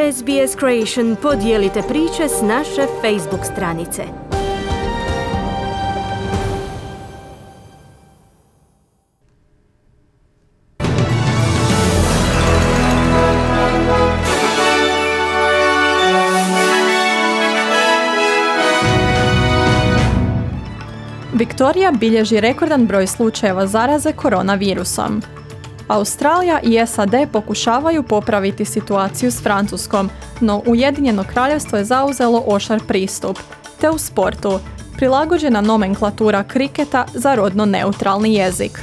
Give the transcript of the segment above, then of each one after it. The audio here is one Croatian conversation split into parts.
SBS Creation podijelite priče s naše Facebook stranice. Viktorija bilježi rekordan broj slučajeva zaraze koronavirusom. Australija i SAD pokušavaju popraviti situaciju s Francuskom, no Ujedinjeno kraljevstvo je zauzelo oštar pristup, te u sportu prilagođena nomenklatura kriketa za rodno neutralni jezik.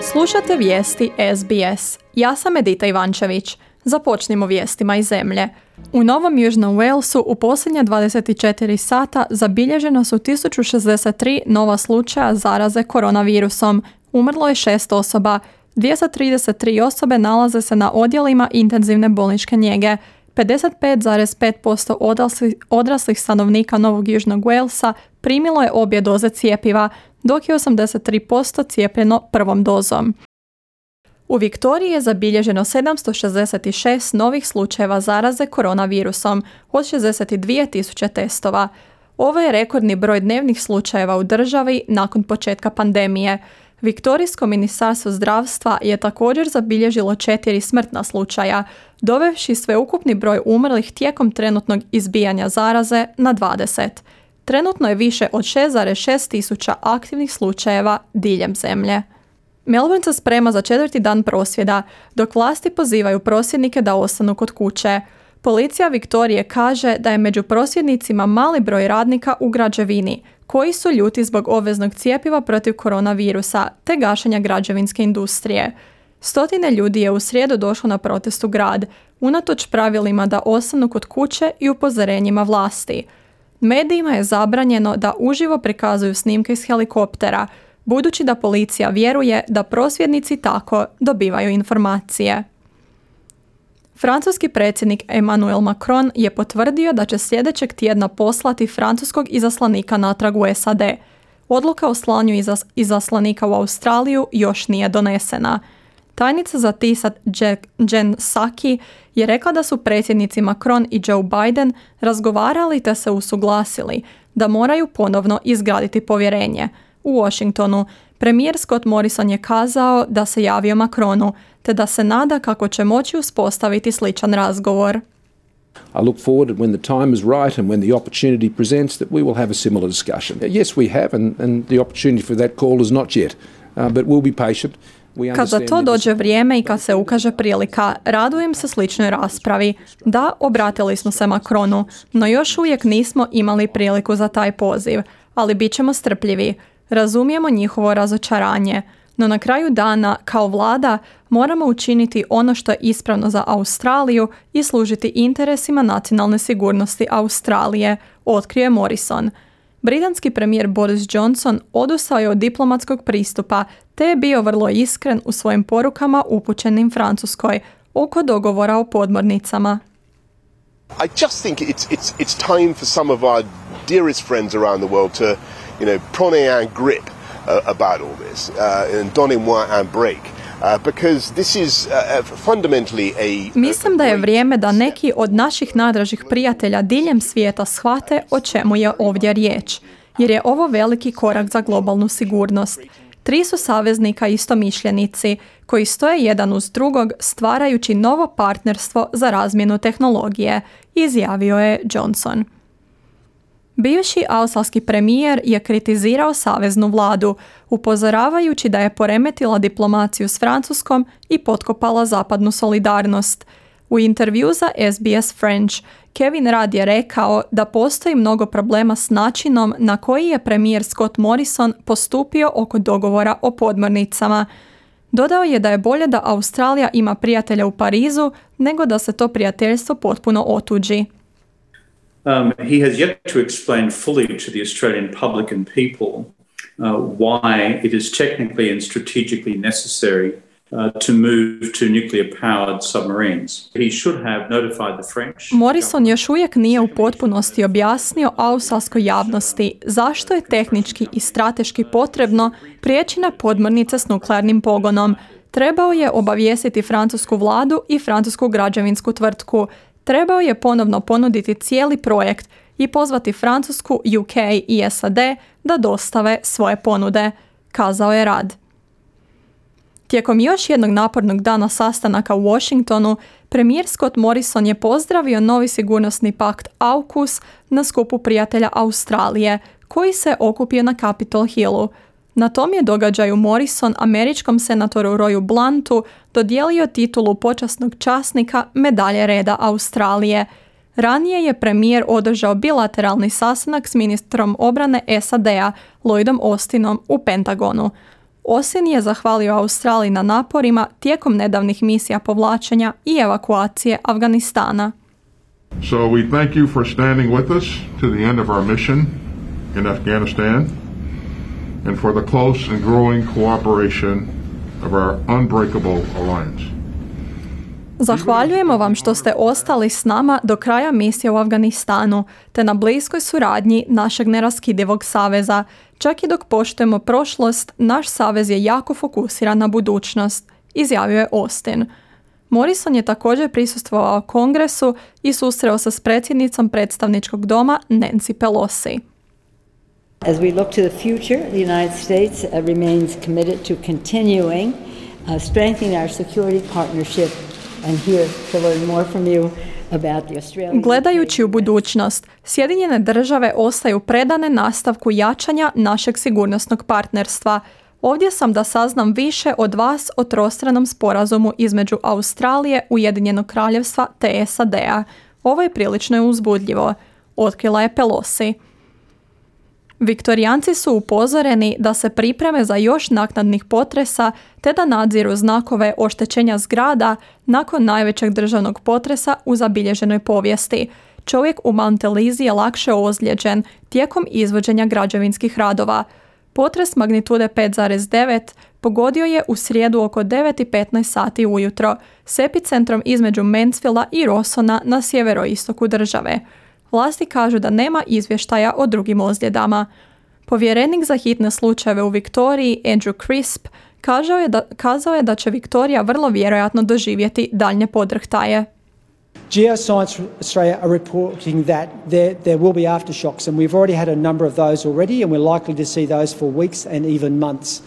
Slušate vijesti SBS. Ja sam Edita Ivančević. Započnimo vijestima iz zemlje. U Novom Južnom Walesu u posljednja 24 sata zabilježeno su 1063 nova slučaja zaraze koronavirusom. Umrlo je 6 osoba. 233 osobe nalaze se na odjelima intenzivne bolničke njege. 55,5% odraslih stanovnika Novog Južnog Walesa primilo je obje doze cjepiva, dok je 83% cijepljeno prvom dozom. U Viktoriji je zabilježeno 766 novih slučajeva zaraze koronavirusom od 62.000 testova. Ovo je rekordni broj dnevnih slučajeva u državi nakon početka pandemije. Viktorijsko ministarstvo zdravstva je također zabilježilo 4 smrtna slučaja, dovevši sveukupni broj umrlih tijekom trenutnog izbijanja zaraze na 20. Trenutno je više od 6,6 tisuća aktivnih slučajeva diljem zemlje. Melbourne se sprema za 4. dan prosvjeda, dok vlasti pozivaju prosvjednike da ostanu kod kuće. Policija Viktorije kaže da je među prosvjednicima mali broj radnika u građevini, koji su ljuti zbog obveznog cjepiva protiv koronavirusa te gašenja građevinske industrije. Stotine ljudi je u srijedu došlo na protest u grad, unatoč pravilima da ostanu kod kuće i upozorenjima vlasti. Medijima je zabranjeno da uživo prikazuju snimke iz helikoptera, budući da policija vjeruje da prosvjednici tako dobivaju informacije. Francuski predsjednik Emmanuel Macron je potvrdio da će sljedećeg tjedna poslati francuskog izaslanika natrag u SAD. Odluka o slanju izaslanika u Australiju još nije donesena. Tajnica za tisak Jen Psaki je rekla da su predsjednici Macron i Joe Biden razgovarali te se usuglasili da moraju ponovno izgraditi povjerenje. U Washingtonu premijer Scott Morrison je kazao da se javio Macronu te da se nada kako će moći uspostaviti sličan razgovor. I look forward when the time is right and when the opportunity presents that we will have a similar discussion. Yes, we have and the opportunity for that call is not yet, but we'll be patient. Kad za to dođe vrijeme i kad se ukaže prilika, radujem se sličnoj raspravi. Da, obratili smo se Macronu, no još uvijek nismo imali priliku za taj poziv, ali bit ćemo strpljivi. Razumijemo njihovo razočaranje, no na kraju dana, kao vlada, moramo učiniti ono što je ispravno za Australiju i služiti interesima nacionalne sigurnosti Australije, otkrio Morrison. Britanski premijer Boris Johnson odustao je od diplomatskog pristupa te je bio vrlo iskren u svojim porukama upućenim Francuskoj oko dogovora o podmornicama. I just think it's time for some of our dearest friends around the world to, prendre un grip about all this and donner-moi un break. Because this is fundamentally Mislim da je vrijeme da neki od naših najdražih prijatelja diljem svijeta shvate o čemu je ovdje riječ, jer je ovo veliki korak za globalnu sigurnost. 3 su saveznika istomišljenici koji stoje jedan uz drugog stvarajući novo partnerstvo za razmjenu tehnologije, izjavio je Johnson. Bivši australski premijer je kritizirao saveznu vladu, upozoravajući da je poremetila diplomaciju s Francuskom i potkopala zapadnu solidarnost. U intervju za SBS French, Kevin Rudd je rekao da postoji mnogo problema s načinom na koji je premijer Scott Morrison postupio oko dogovora o podmornicama. Dodao je da je bolje da Australija ima prijatelja u Parizu nego da se to prijateljstvo potpuno otuđi. He has yet to explain fully to the Australian public and people why it is technically and strategically necessary to move to nuclear-powered submarines. He should have notified the French. Morrison još uvijek nije u potpunosti objasnio australskoj javnosti zašto je tehnički i strateški potrebno prijeći na podmornice s nuklearnim pogonom. Trebao je obavijestiti francusku vladu i francusku građevinsku tvrtku. Trebao je ponovno ponuditi cijeli projekt i pozvati Francusku, UK i SAD da dostave svoje ponude, kazao je Rudd. Tijekom još jednog napornog dana sastanaka u Washingtonu, premijer Scott Morrison je pozdravio novi sigurnosni pakt AUKUS na skupu prijatelja Australije, koji se okupio na Capitol Hillu. Na tom je događaju Morrison američkom senatoru Royu Bluntu dodijelio titulu počasnog časnika medalje reda Australije. Ranije je premijer održao bilateralni sastanak s ministrom obrane SAD-a Lloydom Austinom u Pentagonu. Austin je zahvalio Australiji na naporima tijekom nedavnih misija povlačenja i evakuacije Afganistana. So we thank you for standing with us to the end of our mission in Afghanistan and for the close and growing cooperation of our unbreakable alliance. Zahvaljujemo vam što ste ostali s nama do kraja misije u Afganistanu, te na bliskoj suradnji našeg neraskidivog saveza. Čak i dok poštujemo prošlost, naš savez je jako fokusiran na budućnost, izjavio je Austin. Morrison je također prisustvovao kongresu i susreo se s predsjednicom predstavničkog doma Nancy Pelosi. As we look to the future, the United States remains committed to continuing strengthening our security partnership and here to learn more from you about the Australian. Gledajući u budućnost, Sjedinjene države ostaju predane nastavku jačanja našeg sigurnosnog partnerstva. Ovdje sam da saznam više od vas o trostranom sporazumu između Australije, Ujedinjenog kraljevstva te SAD-a. Ovo je prilično uzbudljivo, otkrila je Pelosi. Viktorijanci su upozoreni da se pripreme za još naknadnih potresa te da nadziru znakove oštećenja zgrada nakon najvećeg državnog potresa u zabilježenoj povijesti. Čovjek u Mount Elizi je lakše ozlijeđen tijekom izvođenja građevinskih radova. Potres magnitude 5,9 pogodio je u srijedu oko 9:15 sati ujutro s epicentrom između Mansfielda i Rosona na sjeveroistoku države. Vlasti kažu da nema izvještaja o drugim ozljedama. Povjerenik za hitne slučajeve u Viktoriji, Andrew Crisp, kazao je da će Viktorija vrlo vjerojatno doživjeti daljnje podrhtaje. Geoscience Australia are reporting that there will be aftershocks, and we've already had a number of those already, and we're likely to see those for weeks and even months.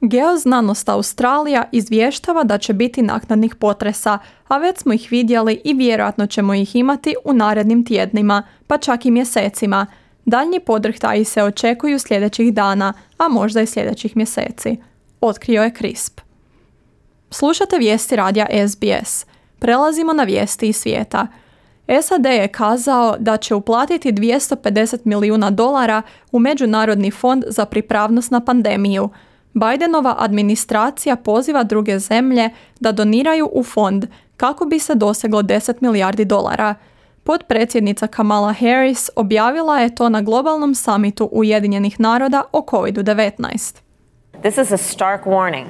Geoznanost Australija izvještava da će biti naknadnih potresa, a već smo ih vidjeli i vjerojatno ćemo ih imati u narednim tjednima, pa čak i mjesecima. Daljnji podrhtaji se očekuju sljedećih dana, a možda i sljedećih mjeseci, otkrio je Crisp. Slušate vijesti radija SBS. Prelazimo na vijesti iz svijeta. SAD je kazao da će uplatiti $250 milijuna u Međunarodni fond za pripravnost na pandemiju. Bidenova administracija poziva druge zemlje da doniraju u fond kako bi se doseglo $10 milijardi. Potpredsjednica Kamala Harris objavila je to na globalnom samitu Ujedinjenih naroda o COVID-19. This is a stark warning,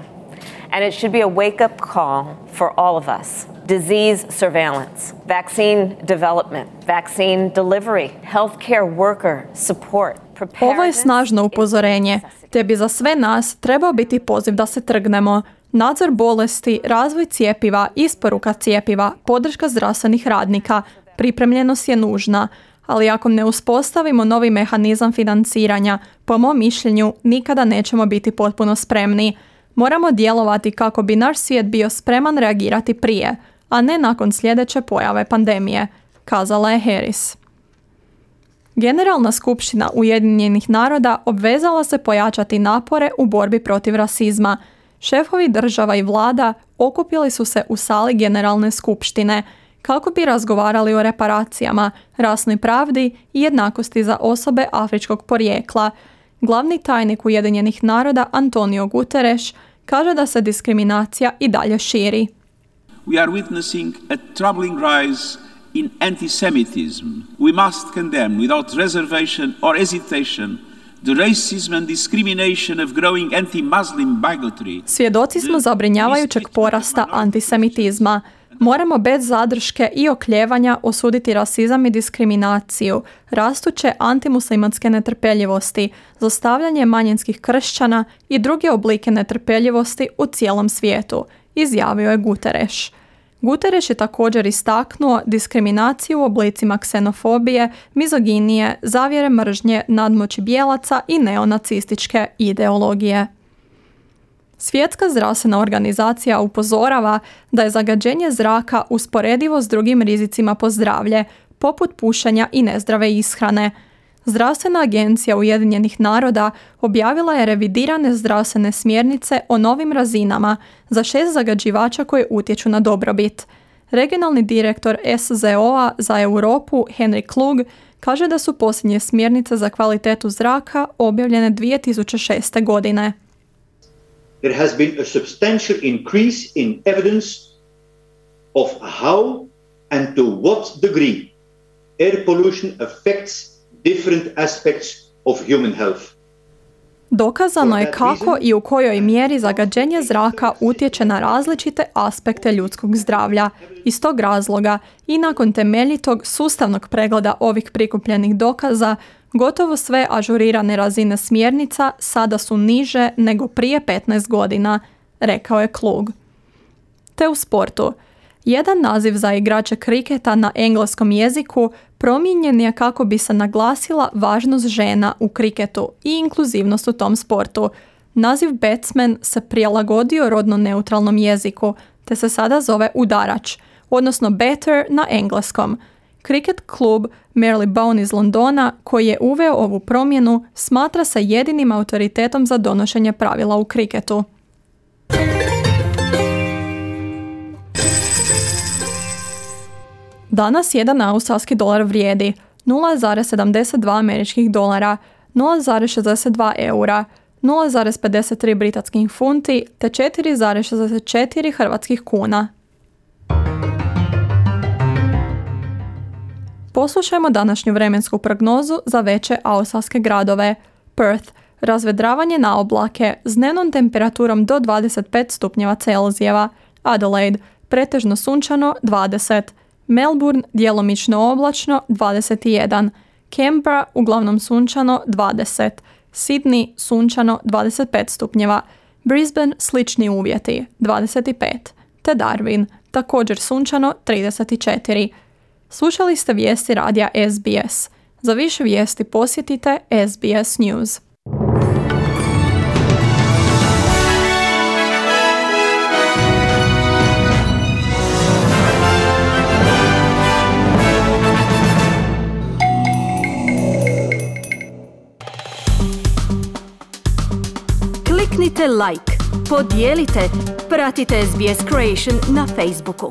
and it should be a wake-up call for all of us. Disease surveillance, vaccine development, vaccine delivery, healthcare worker support. Ovo je snažno upozorenje, te bi za sve nas trebao biti poziv da se trgnemo. Nadzor bolesti, razvoj cjepiva, isporuka cjepiva, podrška zdravstvenih radnika, pripremljenost je nužna, ali ako ne uspostavimo novi mehanizam financiranja, po mom mišljenju nikada nećemo biti potpuno spremni. Moramo djelovati kako bi naš svijet bio spreman reagirati prije, a ne nakon sljedeće pojave pandemije, kazala je Harris. Generalna skupština Ujedinjenih naroda obvezala se pojačati napore u borbi protiv rasizma. Šefovi država i vlada okupili su se u sali Generalne skupštine kako bi razgovarali o reparacijama, rasnoj pravdi i jednakosti za osobe afričkog porijekla. Glavni tajnik Ujedinjenih naroda Antonio Guterres kaže da se diskriminacija i dalje širi. We are witnessing a troubling rise in anti-Semitism. We must condemn without reservation or hesitation the racism and discrimination of growing anti-Muslim bigotry. Svjedoci smo zabrinjavajućeg porasta antisemitizma. Moramo bez zadrške i oklijevanja osuditi rasizam i diskriminaciju, rastuće antimuslimanske netrpeljivosti, zlostavljanje manjinskih kršćana i druge oblike netrpeljivosti u cijelom svijetu, izjavio je Guterres. Guterres je također istaknuo diskriminaciju u oblicima ksenofobije, mizoginije, zavjere mržnje, nadmoći bijelaca i neonacističke ideologije. Svjetska zdravstvena organizacija upozorava da je zagađenje zraka usporedivo s drugim rizicima po zdravlje, poput pušenja i nezdrave ishrane. Zdravstvena agencija Ujedinjenih naroda objavila je revidirane zdravstvene smjernice o novim razinama za 6 zagađivača koje utječu na dobrobit. Regionalni direktor SZO-a za Europu Henry Klug kaže da su posljednje smjernice za kvalitetu zraka objavljene 2006. godine. There has been a substantial increase in evidence of how and to what degree air pollution affects different aspects of human health. Dokazano je kako i u kojoj mjeri zagađenje zraka utječe na različite aspekte ljudskog zdravlja. Iz tog razloga i nakon temeljitog sustavnog pregleda ovih prikupljenih dokaza, gotovo sve ažurirane razine smjernica sada su niže nego prije 15 godina, rekao je Klug. Te u sportu. Jedan naziv za igrače kriketa na engleskom jeziku promijenjen je kako bi se naglasila važnost žena u kriketu i inkluzivnost u tom sportu. Naziv batsman se prilagodio rodno neutralnom jeziku, te se sada zove udarač, odnosno batter na engleskom. Kriket klub Marylebone iz Londona, koji je uveo ovu promjenu, smatra se jedinim autoritetom za donošenje pravila u kriketu. Danas jedan australski dolar vrijedi 0,72 američkih dolara, 0,62 eura, 0,53 britanskih funti te 4,64 hrvatskih kuna. Poslušajmo današnju vremensku prognozu za veće australske gradove. Perth, razvedravanje na oblake s dnevnom temperaturom do 25 stupnjeva Celzijeva. Adelaide, pretežno sunčano 20. Melbourne, djelomično oblačno 21. Canberra, uglavnom sunčano 20. Sydney, sunčano 25 stupnjeva. Brisbane, slični uvjeti 25. Te Darwin, također sunčano 34. Slušali ste vijesti radija SBS. Za više vijesti posjetite SBS News. Kliknite like, podijelite, pratite SBS Creation na Facebooku.